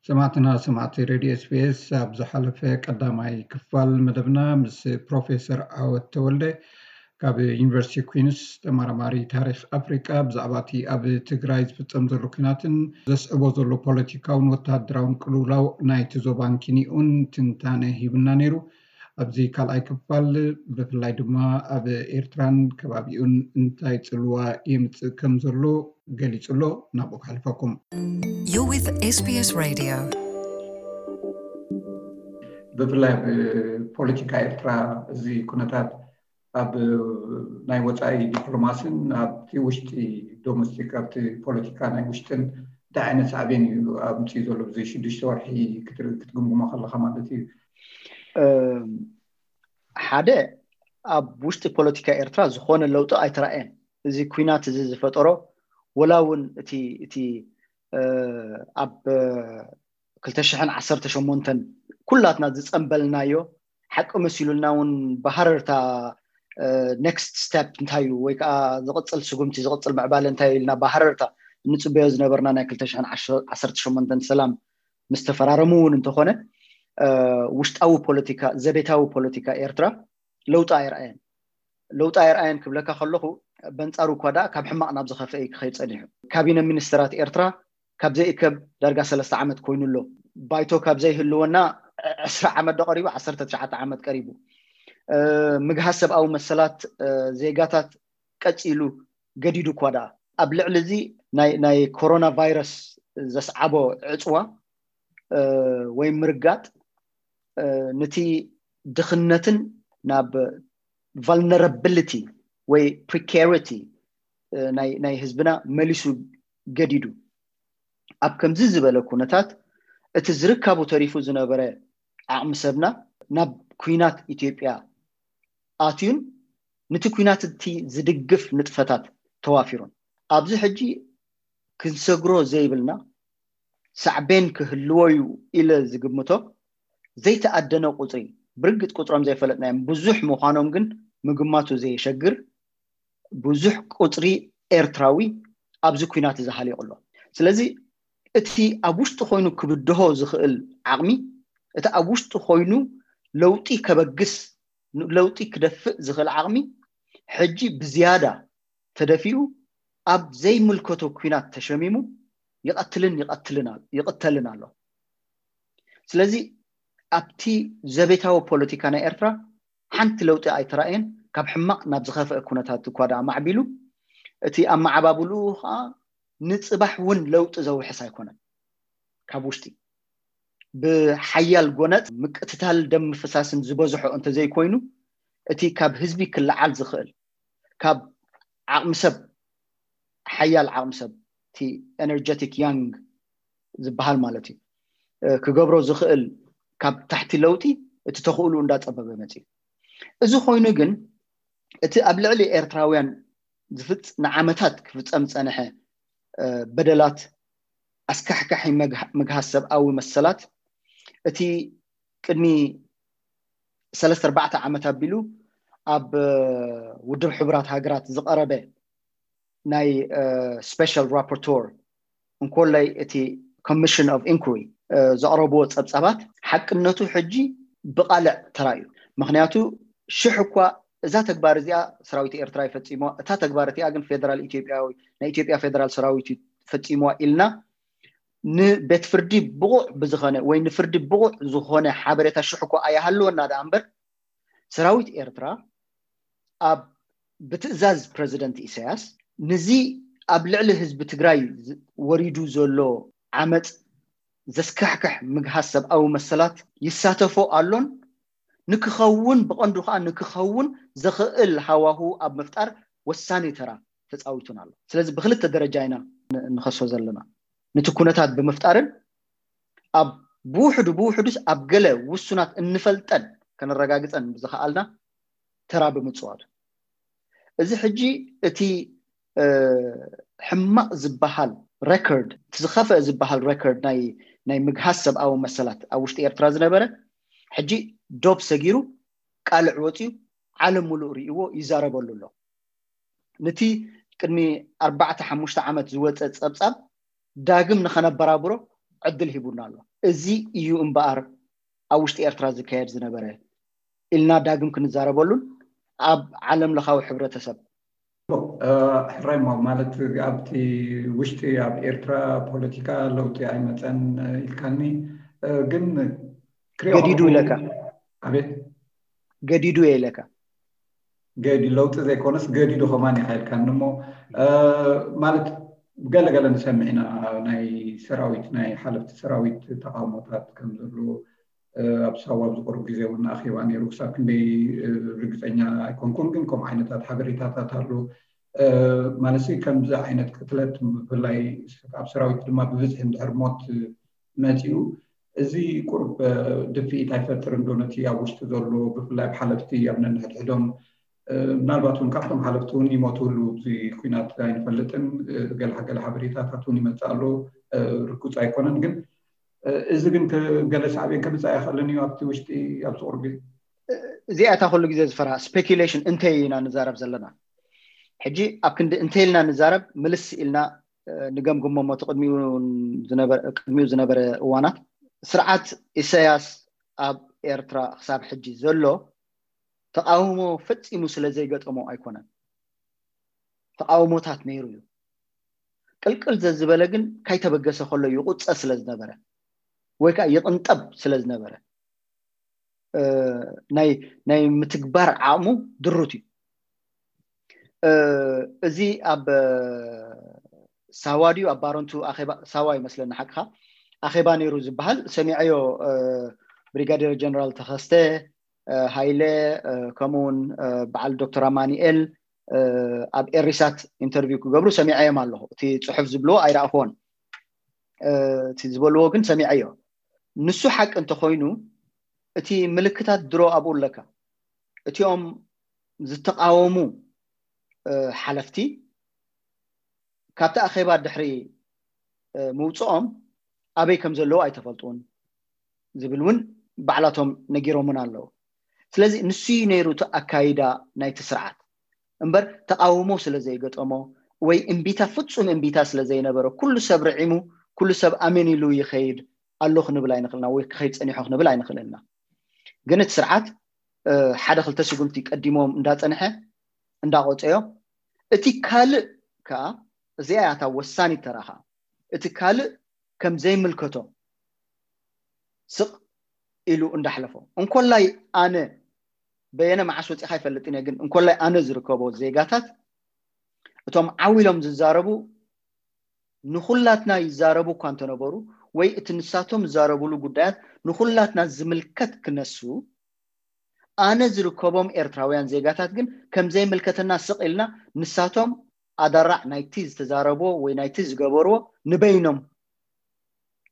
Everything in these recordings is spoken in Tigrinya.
ሰማዕትና ሰማዕቲ ሬድዮ ኤስቢኤስ፣ ኣብ ዝሓለፈ ቀዳማይ ክፋል መደብና ምስ ፕሮፌሰር ዓወት ተወልደ ካብ ዩኒቨርሲቲ ኩንስ፣ ተመራማሪ ታሪኽ ኣፍሪቃ፣ ብዛዕባ እቲ ኣብ ትግራይ ዝፍጸም ዘሎ ኩናትን ዘስዕቦ ዘሎ ፖለቲካውን ወተሃደራውን ቅልውላው ናይቲ ዞባን ኪንኡን ትንታነ ሂብና ነይሩ። ኣብዚ ካልኣይ ክፋል ብፍላይ ድማ ኣብ ኤርትራን ከባቢኡን እንታይ ጽልዋ የምጽእ ከም ዘሎ ገሊጹ ኣሎ። ናብኡ ከሕልፈኩም። You're with SBS Radio. ብፍላይ ኣብ ፖለቲካ ኤርትራ እዚ ኩነታት ኣብ ናይ ወጻኢ ዲፕሎማሲን ኣብቲ ውሽጢ ዶሜስቲክ፣ ኣብቲ ፖለቲካ ናይ ውሽጥን እንታይ ዓይነት ሳዕቤን እዩ ኣምፅኡ ዘሎ? ብዚ ሽዱሽተ ወርሒ ክትር- ክትግምግሞ ከለካ ማለት እዩ። ሓደ፣ ኣብ ውሽጢ ፖለቲካ ኤርትራ ዝኾነ ለውጢ ኣይተራእየን። እዚ ኩናት እዚ ዝፈጠሮ፣ ወላ እውን እቲ እቲ ኣብ ክልተ ሽሕን ዓሰርተ ሸሞንተን ኩላትና ዝፀንበልናዮ፣ ሓቂ መሲሉልና እውን ብሃረርታ ኔክስት ስቴፕ እንታይ እዩ ወይ ከዓ ዝቕፅል ስጉምቲ፣ ዝቕፅል ምዕባለ እንታይ እዩ ኢልና ብሃረርታ እንፅበዮ ዝነበርና ናይ ክልተ ሽሕን ዓሰርተ ሸሞንተን ሰላም ምስ ተፈራረሙ እውን እንተኾነ፣ ውሽጣዊ ፖለቲካ፣ ዘቤታዊ ፖለቲካ ኤርትራ ለውጢ ኣይረኣየን። ለውጢ ኣይረኣየን ክብለካ ከለኹ፣ በንፃሩ እኳ ደኣ ካብ ሕማቕ ናብ ዝኸፍአ እዩ ክኸይድ ፀኒሑ። ካቢነ ሚኒስትራት ኤርትራ ካብ ዘይእከብ ዳርጋ ሰለስተ ዓመት ኮይኑ ኣሎ። ባይቶ ካብ ዘይህልወና ዕስራ ዓመት ዶ ቀሪቡ፣ ዓሰርተ ትሽዓተ ዓመት ቀሪቡ። ምግሃስ ሰብኣዊ መሰላት ዜጋታት ቀፂሉ ገዲዱ እኳ ደኣ፣ ኣብ ልዕሊ እዚ ናይ ኮሮና ቫይረስ ዘስዓቦ ዕፅዋ ወይ ምርጋጥ፣ ነቲ ድኽነትን ናብ vulnerability ወይ precarity ናይ ህዝብና መሊሱ ገዲዱ። ኣብ ከምዚ ዝበለ ኩነታት፣ እቲ ዝርካቡ ተሪፉ ዝነበረ ዓቕሚ ሰብና ናብ ኩናት ኢትዮጵያ ኣትዩን፣ ነቲ ኩናት እቲ ዝድግፍ ንጥፈታት ተዋፊሩን። ኣብዚ ሕጂ ክንሰግሮ ዘይብልና ሳዕቤን ክህልዎ እዩ ኢለ ዝግምቶ ዘይተኣደነ ቁፅሪ፣ ብርግፅ ቁፅሮም ዘይፈለጥናዮም ብዙሕ ምዃኖም ግን ምግማቱ ዘየሸግር ብዙሕ ቁፅሪ ኤርትራዊ ኣብዚ ኩናት እዚ ሃሊቑ ኣሎ። ስለዚ እቲ ኣብ ውሽጢ ኮይኑ ክብድሆ ዝኽእል ዓቕሚ፣ እቲ ኣብ ውሽጢ ኮይኑ ለውጢ ከበግስ፣ ለውጢ ክደፍእ ዝኽእል ዓቕሚ ሕጂ ብዝያዳ ተደፊኡ ኣብ ዘይምልከቶ ኩናት ተሸሚሙ ይቐትልን ይቐትልን ኣሎ። ስለዚ ኣብቲ ዘቤታዊ ፖለቲካ ናይ ኤርትራ ሓንቲ ለውጢ ኣይተራእየን። ካብ ሕማቕ ናብ ዝኸፍአ ኩነታት እኳ ደኣ ማዕቢሉ፣ እቲ ኣመዓባብልኡ ከዓ ንፅባሕ እውን ለውጢ ዘውሕስ ኣይኮነን። ካብ ውሽጢ ብሓያል ጎነፅ ምቅትታል ደም ምፍሳስን ዝበዝሖ እንተዘይኮይኑ፣ እቲ ካብ ህዝቢ ክለዓል ዝኽእል፣ ካብ ዓቕሚ ሰብ፣ ሓያል ዓቕሚ ሰብ፣ እቲ ኤነርጀቲክ ያንግ ዝበሃል ማለት እዩ፣ ክገብሮ ዝኽእል ካብ ታሕቲ ለውጢ እቲ ተኽእሉ እንዳፀበበ መፅዩ። እዚ ኮይኑ ግን እቲ ኣብ ልዕሊ ኤርትራውያን ዝፍፅ ንዓመታት ክፍፀም ዝፀንሐ በደላት፣ ኣስካሕካሒ ምግሃስ ሰብኣዊ መሰላት፣ እቲ ቅድሚ ሰለስተ ኣርባዕተ ዓመት ኣቢሉ ኣብ ውድብ ሕቡራት ሃገራት ዝቐረበ ናይ ስፔሻል ራፖርቶር እንኮላይ እቲ ኮሚሽን ኦፍ ኢንኩሪ ዘቕረብዎ ፀብፃባት ሓቅነቱ ሕጂ ብቓልዕ ተራእዩ። ምክንያቱ ሽሕ እኳ እዛ ተግባር እዚኣ ሰራዊት ኤርትራ ይፈፂምዋ፣ እታ ተግባር እቲኣ ግን ፌደራል ኢትዮጵያዊ፣ ናይ ኢትዮጵያ ፌደራል ሰራዊት እዩ ፈፂምዋ ኢልና ንቤት ፍርዲ ብቑዕ ብዝኾነ ወይ ንፍርዲ ብቑዕ ዝኾነ ሓበሬታ ሽሕ እኳ ኣይሃለወና ደኣ እምበር፣ ሰራዊት ኤርትራ ኣብ ብትእዛዝ ፕረዚደንት ኢሳያስ ንዚ ኣብ ልዕሊ ህዝቢ ትግራይ ወሪዱ ዘሎ ዓመፅ ዘስካሕክሕ ምግሃስ ሰብኣዊ መሰላት ይሳተፎ ኣሎን ንክኸውን፣ ብቐንዱ ከዓ ንክኸውን ዘኽእል ሃዋሁ ኣብ ምፍጣር ወሳኒ ተራ ተፃዊቱን ኣሎ። ስለዚ ብክልተ ደረጃ ኢና ንኸሶ ዘለና። ነቲ ኩነታት ብምፍጣርን ኣብ ብውሕዱ ብውሕዱስ ኣብ ገለ ውሱናት እንፈልጠን ከነረጋግፀን ብዝኸኣልና ተራ ብምፅዋቱ። እዚ ሕጂ እቲ ሕማቕ ዝበሃል ሬኮርድ፣ እቲ ዝኸፍአ ዝበሃል ሬኮርድ ናይ ናይ ምግሃስ ሰብኣዊ መሰላት ኣብ ውሽጢ ኤርትራ ዝነበረ፣ ሕጂ ዶብ ሰጊሩ ቃልዕ ወፅዩ ዓለም ሙሉእ ርእይዎ ይዛረበሉ ኣሎ። ነቲ ቅድሚ ኣርባዕተ ሓሙሽተ ዓመት ዝወፀ ፀብፃብ ዳግም ንኸነበራብሮ ዕድል ሂቡና ኣሎ። እዚ እዩ እምበኣር ኣብ ውሽጢ ኤርትራ ዝካየድ ዝነበረ ኢልና ዳግም ክንዛረበሉን ኣብ ዓለም ለኻዊ ሕብረተሰብ ሕራይ ማለት ኣብቲ ውሽጢ ኣብ ኤርትራ ፖለቲካ ለውጢ ኣይመፀን ኢልካኒ፣ ግን ክሪኦ ገዲዱ ከለኹ- ኢለካ ኣቤት ገዲዱ እየ ኢለካ ገዲ ለውጢ ዘይኮነስ ገዲዱ ከማን ኢኻ ኢልካኒ እሞ ማለት ገለገለ ንሰምዕ ኢና። ናይ ሰራዊት ናይ ሓለፍቲ ሰራዊት ተቃውሞታት ከም ዘሎ ኣብ ሳዋ ኣብ ዝቆርብ ግዜ እውን ኣኼባ ነይሩ። ክሳብ ክንደይ ርግፀኛ ኣይኮንኩን፣ ግን ከምኡ ዓይነታት ሓበሬታታት ኣሎ። ማለት ከምዚ ዓይነት ቅትለት ብፍላይ ኣብ ሰራዊት ድማ ብብዝሒ እንድሕር ሞት መፂኡ እዚ ቁርብ ድፍኢት ኣይፈጥርን ዶ ነቲ ኣብ ውሽጢ ዘሎ ብፍላይ ኣብ ሓለፍቲ ኣብ ነንሕድሕዶም ምናልባት እውን ካብቶም ሓለፍቲ እውን ይሞቱ ህሉ እዚ ኩናት ኣይንፈልጥን። ገለ ገለ ሓበሬታታት እውን ይመፅእ ኣሎ። ርኩፅ ኣይኮነን፣ ግን እዚ ግን ገለ ሳዕቤን ከምፃእ ይኽእልን እዩ ኣብቲ ውሽጢ ኣብዚ ቁርቢ እዚኣ እታ ኩሉ ግዜ ዝፈርሃ ስፔኪሌሽን እንተይ ኢና ንዛረብ ዘለና። ሕጂ ኣብ ክንዲ እንተይ ኢልና ንዛረብ ምልስ ኢልና ንገምግሞ ሞቲ ቅድሚኡ ዝነበረ እዋናት ስርዓት ኢሳያስ ኣብ ኤርትራ ክሳብ ሕጂ ዘሎ ተቃውሞ ፈጺሙ ስለ ዘይገጠሞ ኣይኮነን። ተቃውሞታት ነይሩ እዩ። ቅልቅል ዘዝበለ ግን ካይተበገሰ ከሎ ይቁፀ ስለ ዝነበረ ወይ ከዓ ይቅንጠብ ስለ ዝነበረ ናይ ናይ ምትግባር ዓቕሙ ድሩት እዩ። እዚ ኣብ ሳዋ ድዩ ኣብ ባረንቱ ኣኼባ ሳዋ ይመስለኒ ሓቅኻ ኣኼባ ነይሩ ዝበሃል ሰሚዐዮ። ብሪጋዴር ጀነራል ተኸስተ ሃይለ ከምኡውን በዓል ዶክተር ኣማኒኤል ኣብ ኤሪሳት ኢንተርቪው ክገብሩ ሰሚዐዮም ኣለኹ። እቲ ፅሑፍ ዝብልዎ ኣይረኣኽዎን። እቲ ዝበልዎ ግን ሰሚዐዮ። ንሱ ሓቂ እንተኮይኑ እቲ ምልክታት ድሮ ኣብኡ ኣለካ። እቲኦም ዝተቃወሙ ሓለፍቲ ካብቲ ኣኼባ ድሕሪ ምውፅኦም ኣበይ ከም ዘለዉ ኣይተፈልጡን ዝብል እውን ባዕላቶም ነጊሮምን ኣለዉ። ስለዚ ንሱ እዩ ነይሩ እቲ ኣካይዳ ናይቲ ስርዓት እምበር ተቃውሞ ስለ ዘይገጠሞ ወይ እምቢታ ፍጹም እምቢታ ስለ ዘይነበረ ኩሉ ሰብ ርዒሙ ኩሉ ሰብ ኣሜን ኢሉ ይኸይድ ኣሎ ክንብል ኣይንኽእልና ወይ ክኸይድ ፀኒሖ ክንብል ኣይንኽእልና። ግን እቲ ስርዓት ሓደ ክልተ ስጉምቲ ቀዲሞም እንዳፀንሐ እንዳቆፀዮ እቲ ካልእ ከዓ እዚኣ ያታ ወሳኒት ተራኻ እቲ ካልእ ከም ዘይምልከቶ ስቕ ኢሉ እንዳሕለፎ እንኮላይ ኣነ በየነ መዓስ ወፂኻ ይፈልጥን እየ ግን እንኮላይ ኣነ ዝርከቦ ዜጋታት እቶም ዓው ኢሎም ዝዛረቡ ንኹላትና ይዛረቡ እኳ እንተነበሩ ወይ እቲ ንሳቶም ዝዛረቡሉ ጉዳያት ንኹላትና ዝምልከት ክነሱ ኣነ ዝርከቦም ኤርትራውያን ዜጋታት ግን ከም ዘይምልከተና ስቕ ኢልና ንሳቶም ኣደራዕ ናይቲ ዝተዛረብዎ ወይ ናይቲ ዝገበርዎ ንበይኖም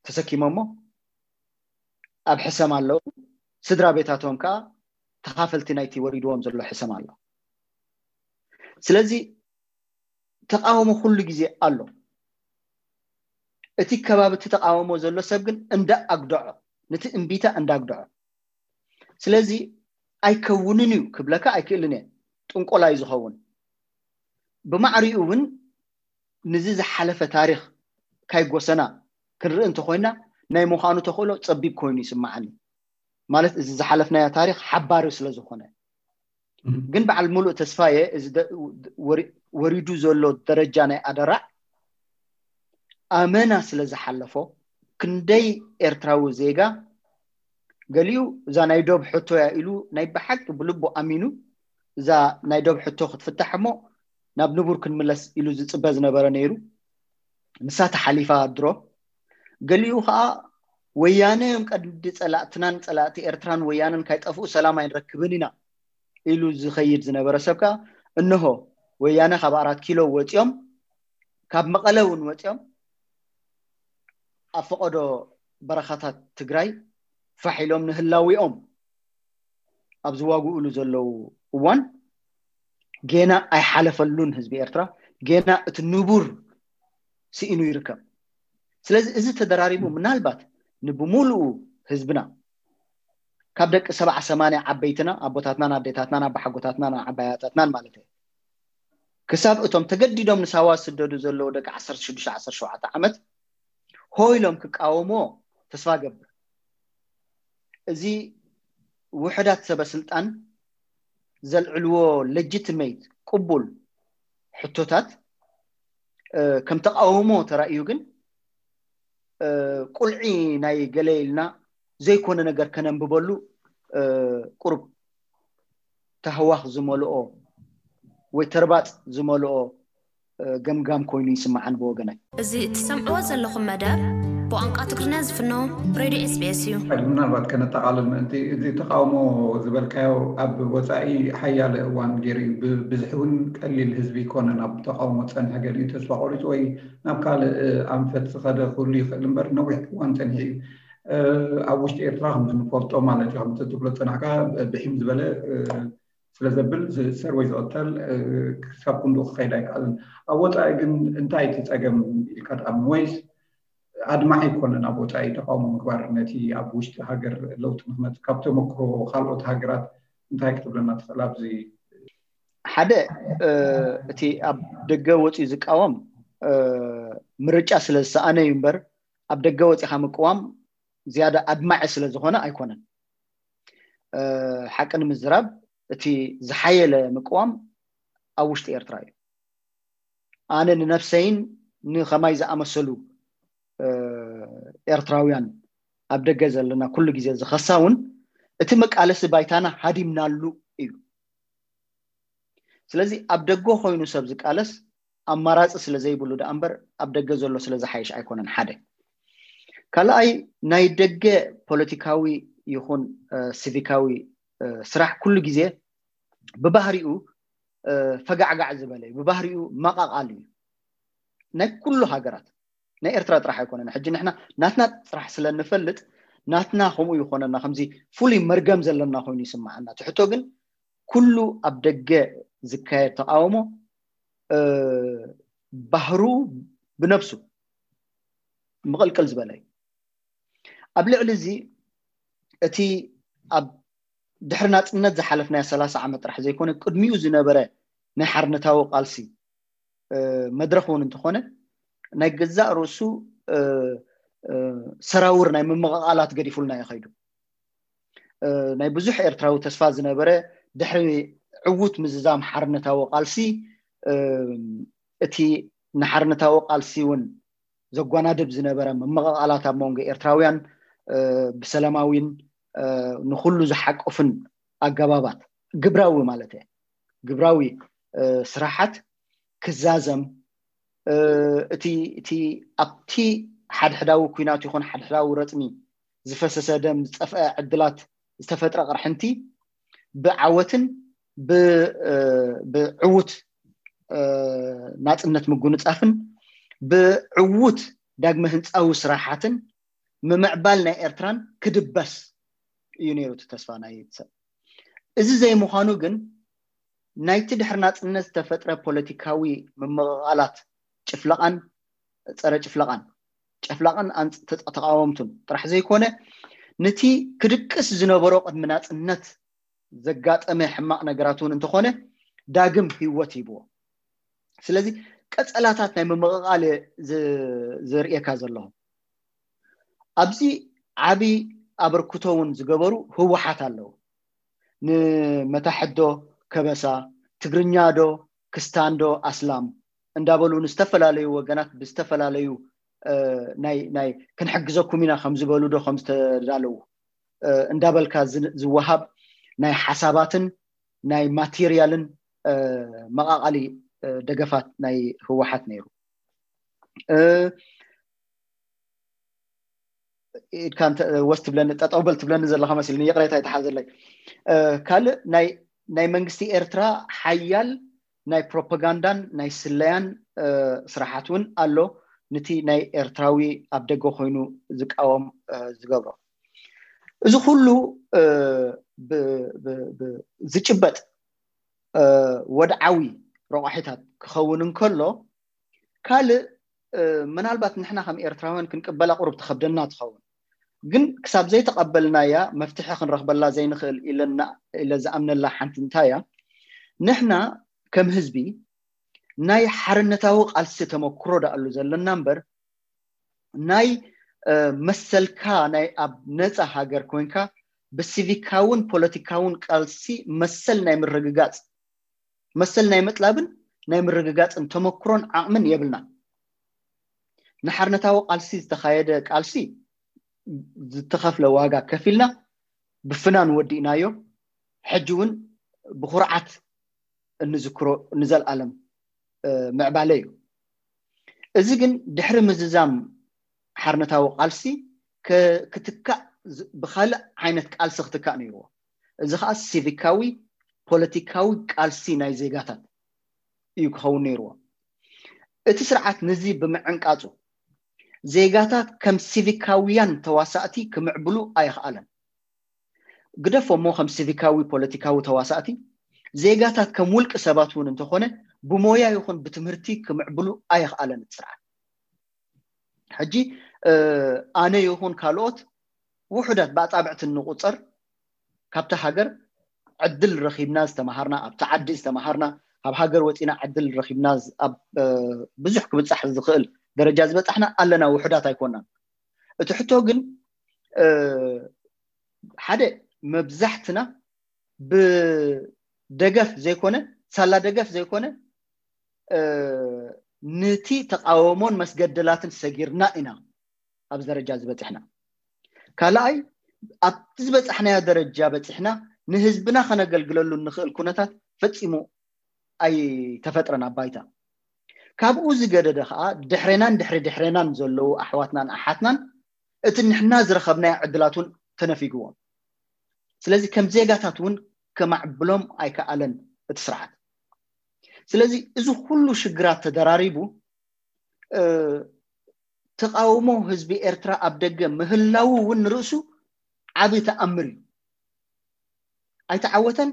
ተሰኪሞሞ ኣብ ሕሰም ኣለዉ። ስድራ ቤታቶም ከዓ ተኻፈልቲ ናይቲ ወሪድዎም ዘሎ ሕሰም ኣሎ። ስለዚ ተቃውሞ ኩሉ ግዜ ኣሎ። እቲ ከባቢ እቲ ተቃውሞ ዘሎ ሰብ ግን እንዳ ኣግደዖ ነቲ እምቢታ እንዳ ኣግደዖ ስለዚ ኣይከውንን እዩ ክብለካ ኣይክእልን እየ። ጥንቆላ እዩ ዝኸውን። ብማዕሪኡ እውን ንዚ ዝሓለፈ ታሪክ ካይጎሰና ክንርኢ እንተኮይና ናይ ምዃኑ ተኽእሎ ፀቢብ ኮይኑ ይስማዓኒ። ማለት እዚ ዝሓለፍናዮ ታሪክ ሓባሪ ስለ ዝኾነ ግን በዓል ሙሉእ ተስፋየ እዚ ወሪዱ ዘሎ ደረጃ ናይ ኣደራዕ ኣመና ስለ ዝሓለፎ ክንደይ ኤርትራዊ ዜጋ ገሊኡ እዛ ናይ ዶብ ሕቶ እያ ኢሉ ናይ ብሓቂ ብልቡ ኣሚኑ እዛ ናይ ዶብ ሕቶ ክትፍታሕ እሞ ናብ ንቡር ክንምለስ ኢሉ ዝፅበ ዝነበረ ነይሩ። ንሳ ተሓሊፋ ድሮ። ገሊኡ ከዓ ወያነ እዮም ቀንዲ ፀላእትናን ፀላእቲ ኤርትራን ወያነን ካይጠፍኡ ሰላም ኣይንረክብን ኢና ኢሉ ዝኸይድ ዝነበረ ሰብ ከዓ እንሆ ወያነ ካብ ኣራት ኪሎ ወፂኦም ካብ መቐለ እውን ወፂኦም ኣብ ፈቐዶ በረኻታት ትግራይ ፋሕ ኢሎም ንህላዊኦም ኣብ ዝዋግኡሉ ዘለዉ እዋን ጌና ኣይሓለፈሉን ህዝቢ ኤርትራ ጌና እቲ ንቡር ስኢኑ ይርከብ። ስለዚ እዚ ተደራሪቡ ምናልባት ንብሙሉኡ ህዝብና ካብ ደቂ ሰብዓ ሰማንያ ዓበይትና ኣቦታትናን ኣዴታትናን ኣባሓጎታትናን ኣዓባያታትናን ማለት እዩ ክሳብ እቶም ተገዲዶም ንሳዋ ዝስደዱ ዘለዉ ደቂ ዓሰርተ ሽዱሽተ ዓሰርተ ሸውዓተ ዓመት ሆ ኢሎም ክቃወሞ ተስፋ ገብር። እዚ ውሕዳት ሰበ ስልጣን ዘልዕልዎ ሌጂቲሜት ቅቡል ሕቶታት ከም ተቃውሞ ተራእዩ ግን ቁልዒ ናይ ገለ ኢልና ዘይኮነ ነገር ከነንብበሉ ቁሩብ ታህዋኽ ዝመልኦ ወይ ተርባፅ ዝመልኦ ገምጋም ኮይኑ ይስምዓን ብወገናይ። እዚ እትሰምዕዎ ዘለኹም መደብ ብቋንቋ ትግርኛ ዝፍኖ ሬድዮ ኤስቢኤስ እዩ። ምናልባት ከነጠቓልል ምእንቲ፣ እዚ ተቃውሞ ዝበልካዮ ኣብ ወፃኢ ሓያለ እዋን ገይሩ እዩ። ብብዝሒ እውን ቀሊል ህዝቢ ይኮነን ኣብ ተቃውሞ ፀንሐ፣ ገሊኡ ተስፋ ቆሪፁ ወይ ናብ ካልእ ኣንፈት ዝኸደ ክህሉ ይኽእል እምበር ነዊሕ እዋን ፀኒሑ እዩ። ኣብ ውሽጢ ኤርትራ ከምዚ ንፈልጦ ማለት እዩ፣ ከምዚ ትብሎ ፀናሕካ ብሒም ዝበለ ስለ ዘብል ዝእሰር ወይ ዝቕተል ክሳብ ክንድኡ ክኸይድ ኣይከኣልን። ኣብ ወፃኢ ግን እንታይ እቲ ፀገም ኢልካ ትኣምን? ወይስ ኣድማዒ ኣይኮነን ኣብ ወፃኢ ተቃውሞ ምግባር ነቲ ኣብ ውሽጢ ሃገር ለውጢ ንክመፅእ? ካብ ተመክሮ ካልኦት ሃገራት እንታይ ክትብለና ትኽእል ኣብዚ? ሓደ እቲ ኣብ ደገ ወፂኡ ዝቃወም ምርጫ ስለ ዝሰኣነ እዩ እምበር ኣብ ደገ ወፂኻ ምቅዋም ዝያዳ ኣድማዒ ስለ ዝኾነ ኣይኮነን። ሓቂ ንምዝራብ እቲ ዝሓየለ ምቅዋም ኣብ ውሽጢ ኤርትራ እዩ። ኣነ ንነፍሰይን ንኸማይ ዝኣመሰሉ ኤርትራውያን ኣብ ደገ ዘለና ኩሉ ግዜ ዝኸሳ እውን እቲ መቃለሲ ባይታና ሃዲምናሉ እዩ። ስለዚ ኣብ ደገ ኮይኑ ሰብ ዝቃለስ ኣማራፂ ስለ ዘይብሉ ደኣ እምበር ኣብ ደገ ዘሎ ስለ ዝሓይሽ ኣይኮነን። ሓደ ካልኣይ ናይ ደገ ፖለቲካዊ ይኹን ሲቪካዊ ስራሕ ኩሉ ግዜ ብባህሪኡ ፈጋዕጋዕ ዝበለ እዩ። ብባህሪኡ መቃቃል እዩ። ናይ ኩሉ ሃገራት ናይ ኤርትራ ጥራሕ ኣይኮነን። ሕጂ ንሕና ናትና ጥራሕ ስለ ንፈልጥ ናትና ከምኡ ይኾነና፣ ከምዚ ፍሉይ መርገም ዘለና ኮይኑ ይስምዓና። ትሕቶ ግን ኩሉ ኣብ ደገ ዝካየድ ተቃውሞ ባህሩ ብነብሱ ምቕልቅል ዝበለ እዩ። ኣብ ልዕሊ እዚ እቲ ኣብ ድሕሪ ናፅነት ዝሓለፍናዮ ሰላሳ ዓመት ጥራሕ ዘይኮነ ቅድሚኡ ዝነበረ ናይ ሓርነታዊ ቃልሲ መድረኽ እውን እንተኾነ ናይ ገዛእ ርእሱ ሰራውር ናይ ምምቕቓላት ገዲፉልና እዩ ከይዱ። ናይ ብዙሕ ኤርትራዊ ተስፋ ዝነበረ ድሕሪ ዕዉት ምዝዛም ሓርነታዊ ቃልሲ እቲ ንሓርነታዊ ቃልሲ እውን ዘጓናድብ ዝነበረ ምምቕቓላት ኣብ መንጎ ኤርትራውያን ብሰላማዊን ንኹሉ ዝሓቁፍን ኣገባባት ግብራዊ ማለት እየ ግብራዊ ስራሓት ክዛዘም እቲ እቲ ኣብቲ ሓድሕዳዊ ኩናት ይኹን ሓድሕዳዊ ረፅሚ ዝፈሰሰ ደም ዝጠፍአ ዕድላት ዝተፈጥረ ቅርሕንቲ ብዓወትን ብዕዉት ናፅነት ምጉንፃፍን ብዕዉት ዳግመ ህንፃዊ ስራሓትን ምምዕባል ናይ ኤርትራን ክድበስ እዩ ነይሩ እቲ ተስፋ ናይ ሰብ። እዚ ዘይምዃኑ ግን ናይቲ ድሕሪ ናፅነት ዝተፈጥረ ፖለቲካዊ ምምቕቓላት ጭፍለቓን ፀረ ጭፍለቓን ጨፍላቕን ተቃወምቱን ጥራሕ ዘይኮነ ነቲ ክድቅስ ዝነበሮ ቅድሚ ናፅነት ዘጋጠመ ሕማቕ ነገራት እውን እንተኾነ ዳግም ህይወት ሂብዎ። ስለዚ ቀፀላታት ናይ ምምቕቓል ዝርእየካ ዘለኹ ኣብዚ ዓብዪ ኣበርክቶ እውን ዝገበሩ ህወሓት ኣለዉ። ንመታሕት ዶ ከበሳ፣ ትግርኛ ዶ ክስታን ዶ ኣስላም እንዳበሉ ንዝተፈላለዩ ወገናት ብዝተፈላለዩ ናይ ናይ ክንሕግዘኩም ኢና ከም ዝበሉ ዶ ከም ዝተዳለዉ እንዳበልካ ዝወሃብ ናይ ሓሳባትን ናይ ማቴርያልን መቃቃሊ ደገፋት ናይ ህወሓት ነይሩ። ኢድካ ወስ ትብለኒ ጠጠው በል ትብለኒ ዘለካ መሲልኒ ይቅሬታ ይተሓዘለይ። ካልእ ናይ መንግስቲ ኤርትራ ሓያል ናይ ፕሮፓጋንዳን ናይ ስለያን ስራሓት እውን ኣሎ። ነቲ ናይ ኤርትራዊ ኣብ ደገ ኮይኑ ዝቃወም ዝገብሮ እዚ ኩሉ ዝጭበጥ ወድዓዊ ረቋሒታት ክኸውን እንከሎ ካልእ ምናልባት ንሕና ከም ኤርትራውያን ክንቅበላ ቁሩብ ትኸብደና ትኸውን፣ ግን ክሳብ ዘይተቐበልናያ መፍትሒ ክንረኽበላ ዘይንኽእል ኢለ ዝኣምነላ ሓንቲ እንታይ እያ? ንሕና ከም ህዝቢ ናይ ሓርነታዊ ቃልሲ ተመክሮ ደኣሉ ዘለና እምበር ናይ መሰልካ ናይ ኣብ ነፃ ሃገር ኮይንካ ብሲቪካውን ፖለቲካውን ቃልሲ መሰል ናይ ምርግጋፅ መሰል ናይ ምጥላብን ናይ ምርግጋፅን ተመክሮን ዓቕምን የብልና። ንሓርነታዊ ቃልሲ ዝተኻየደ ቃልሲ ዝተኸፍለ ዋጋ ከፊልና ብፍናን ወዲእናዮ። ሕጂ እውን ብኩርዓት እንዝክሮ ንዘለኣለም ምዕባለ እዩ። እዚ ግን ድሕሪ ምዝዛም ሓርነታዊ ቃልሲ ክትካእ ብካልእ ዓይነት ቃልሲ ክትካእ ነይርዎ። እዚ ከዓ ሲቪካዊ ፖለቲካዊ ቃልሲ ናይ ዜጋታት እዩ ክኸውን ነይርዎ። እቲ ስርዓት ንዚ ብምዕንቃፁ ዜጋታት ከም ሲቪካውያን ተዋሳእቲ ክምዕብሉ ኣይኽኣለን። ግደፎ እሞ ከም ሲቪካዊ ፖለቲካዊ ተዋሳእቲ ዜጋታት ከም ውልቂ ሰባት እውን እንተኾነ ብሞያ ይኹን ብትምህርቲ ክምዕብሉ ኣይኽኣለን እቲ ስርዓት። ሕጂ ኣነ ይኹን ካልኦት ውሑዳት ብኣፃብዕቲ እንቁፀር ካብታ ሃገር ዕድል ረኺብና ዝተምሃርና ኣብቲ ዓዲ ዝተምሃርና ካብ ሃገር ወፂና ዕድል ረኺብና ኣብ ብዙሕ ክብፃሕ ዝኽእል ደረጃ ዝበፃሕና ኣለና። ውሑዳት ኣይኮናን። እቲ ሕቶ ግን ሓደ መብዛሕትና ብደገፍ ዘይኮነ ሳላ ደገፍ ዘይኮነ ነቲ ተቃወሞን መስገደላትን ሰጊርና ኢና ኣብዚ ደረጃ ዝበፅሕና። ካልኣይ ኣብቲ ዝበፃሕናዮ ደረጃ በፂሕና ንህዝብና ከነገልግለሉ እንኽእል ኩነታት ፈፂሙ ኣይተፈጥረን ኣብ ባይታ። ካብኡ ዝገደደ ከዓ ድሕሬናን ድሕሪ ድሕሬናን ዘለዉ ኣሕዋትናን ኣሓትናን እቲ ንሕና ዝረኸብናዮ ዕድላት እውን ተነፊግዎም። ስለዚ ከም ዜጋታት እውን ከማዕብሎም ኣይከኣለን እቲ ስርዓት። ስለዚ እዚ ኩሉ ሽግራት ተደራሪቡ ተቃውሞ ህዝቢ ኤርትራ ኣብ ደገ ምህላዉ እውን ንርእሱ ዓቢ ተኣምር እዩ። ኣይተዓወተን፣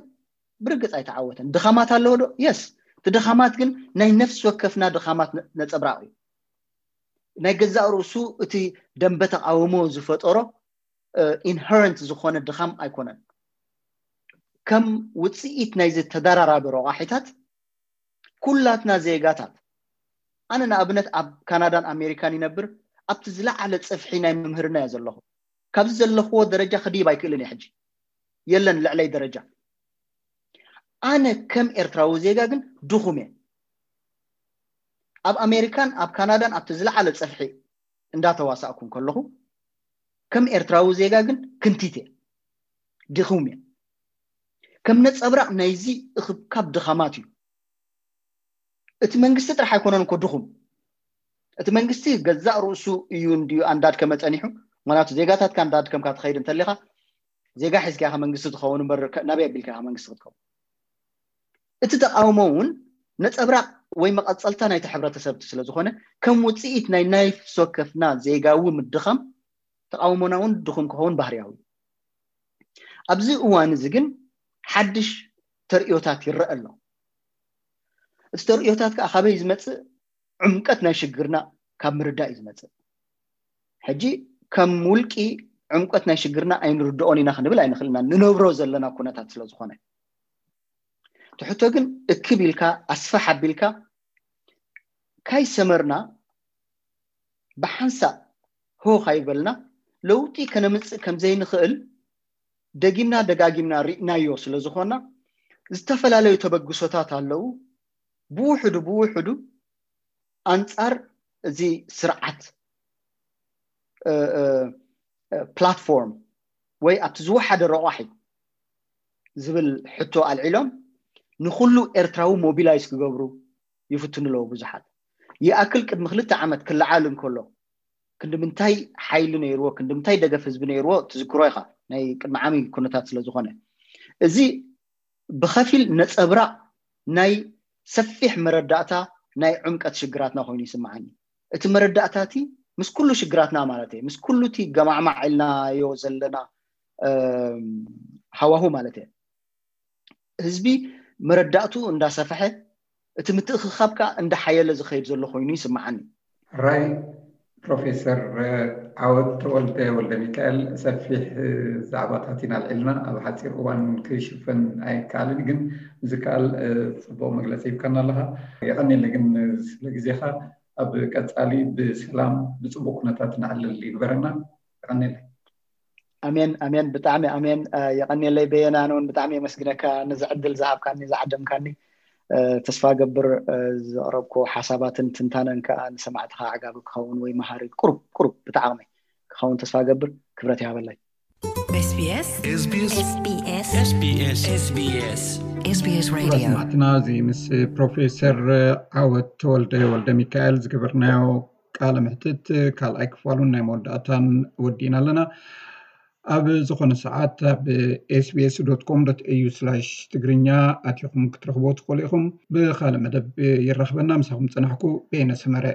ብርግፅ ኣይተዓወተን። ድኻማት ኣለዎ ዶ? የስ። እቲ ድኻማት ግን ናይ ነፍሲ ወከፍና ድኻማት ነፀብራቕ እዩ። ናይ ገዛእ ርእሱ እቲ ደንበ ተቃውሞ ዝፈጠሮ ኢንሄረንት ዝኾነ ድኻም ኣይኮነን። ከም ውፅኢት ናይዚ ተደራራቢ ረቋሒታት ኩላትና ዜጋታት፣ ኣነ ንኣብነት ኣብ ካናዳን ኣሜሪካን ይነብር፣ ኣብቲ ዝለዓለ ፅፍሒ ናይ ምምህርና እየ ዘለኹ። ካብዚ ዘለኽዎ ደረጃ ክድይብ ኣይክእልን እየ። ሕጂ የለን ልዕለይ ደረጃ። ኣነ ከም ኤርትራዊ ዜጋ ግን ድኹም እየ። ኣብ ኣሜሪካን ኣብ ካናዳን ኣብቲ ዝለዓለ ፀፍሒ እንዳተዋሳእኩ ከለኹ ከም ኤርትራዊ ዜጋ ግን ክንቲት እየ፣ ድኹም እየ። ከም ነፀብራቕ ናይዚ እኽብካብ ድኻማት እዩ። እቲ መንግስቲ ጥራሕ ኣይኮነን እኮ ድኹም። እቲ መንግስቲ ገዛእ ርእሱ እዩ እንድዩ ኣንዳድከመ ፀኒሑ። ምክንያቱ ዜጋታትካ እንዳድከምካ ትኸይድ እንተሊኻ ዜጋ ሒዝካ ኢኻ መንግስቲ ትኸውን እምበር ናበይ ኣቢልካ ኢኻ መንግስቲ ክትከውን? እቲ ተቃውሞ እውን ነፀብራቕ ወይ መቐፀልታ ናይቲ ሕብረተሰብ ስለዝኾነ ከም ውፅኢት ናይ ናይ ነፍሲ ወከፍና ዜጋዊ ምድኻም ተቃውሞና እውን ድኹም ክኸውን ባህርያዊ። ኣብዚ እዋን እዚ ግን ሓድሽ ተርእዮታት ይረአ ኣሎ። እቲ ተርእዮታት ከዓ ካበይ ዝመፅእ? ዕምቀት ናይ ሽግርና ካብ ምርዳእ እዩ ዝመፅእ። ሕጂ ከም ውልቂ ዕምቀት ናይ ሽግርና ኣይንርድኦን ኢና ክንብል ኣይንኽእልና፣ ንነብሮ ዘለና ኩነታት ስለዝኾነ። እቲ ሕቶ ግን እክብ ኢልካ ኣስፍሕ ኣቢልካ ካይሰመርና ብሓንሳእ ሆ ካይበልና ለውጢ ከነምፅእ ከምዘይንኽእል ደጊምና ደጋጊምና ርኢናዮ ስለዝኾና ዝተፈላለዩ ተበግሶታት ኣለዉ። ብውሕዱ ብውሕዱ ኣንፃር እዚ ስርዓት ፕላትፎርም ወይ ኣብቲ ዝወሓደ ረቋሒ ዝብል ሕቶ ኣልዒሎም ንኩሉ ኤርትራዊ ሞቢላይዝ ክገብሩ ይፍትኑ ኣለዉ ብዙሓት። ይኣክል ቅድሚ ክልተ ዓመት ክለዓል እንከሎ ክንዲ ምንታይ ሓይሊ ነይርዎ፣ ክንዲ ምንታይ ደገፍ ህዝቢ ነይርዎ ትዝክሮ ኢኻ፣ ናይ ቅድሚ ዓሚ ኩነታት ስለዝኾነ። እዚ ብኸፊል ነፀብራቕ ናይ ሰፊሕ መረዳእታ ናይ ዕምቀት ሽግራትና ኮይኑ ይስምዓኒ። እቲ መረዳእታ እቲ ምስ ኩሉ ሽግራትና ማለት እየ፣ ምስ ኩሉ እቲ ገማዕማዕ ኢልናዮ ዘለና ሃዋሁ ማለት እየ። ህዝቢ መረዳእቱ እንዳሰፈሐ እቲ ምትእኽኻብ ከዓ እንዳሓየለ ዝኸይድ ዘሎ ኮይኑ ይስምዓኒ። ራይ ፕሮፌሰር ዓወት ተወልደ ወልደ ሚካኤል ሰፊሕ ዛዕባታት ኢና ኣልዒልና። ኣብ ሓፂር እዋን ክሽፈን ኣይከኣልን፣ ግን ዝከኣል ፅቡቕ መግለፂ ሂብካና ኣለኻ። የቐኒለ ግን ስለ ግዜኻ ኣብ ቀፃሊ ብሰላም ብፅቡቅ ኩነታት ንዕልል ይግበረና። ቀኒለ ኣሜን ኣሜን። ብጣዕሚ ኣሜን። የቀኒለይ በየነ፣ ኣነ እውን ብጣዕሚ የመስግነካ ነዚ ዕድል ዝሃብካኒ ዝዓደምካኒ። ተስፋ ገብር ዘቅረብኮ ሓሳባትን ትንታነን ከዓ ንሰማዕትካ ኣዕጋቢ ክኸውን ወይ መሃሪ ቁሩብ ቁሩብ ብጣዕሚ ክኸውን ተስፋ ገብር። ክብረት ይሃበለይ። SBS SBS SBS SBS SBS SBS Radio ሰማዕትና እዚ ምስ ፕሮፌሰር ዓወት ተወልደ ወልደ ሚካኤል ዝገበርናዮ ቃለ ምሕትት ካልኣይ ክፋሉን ናይ መወዳእታን ወዲእና ኣለና። ኣብ ዝኾነ ሰዓት ኣብ SBS com au ትግርኛ ኣቲኹም ክትረኽቦ ትኽእሉ ኢኹም። ብካልእ መደብ ይራኽበና። ምሳኹም ፀናሕኩ በየነ ሰመረ።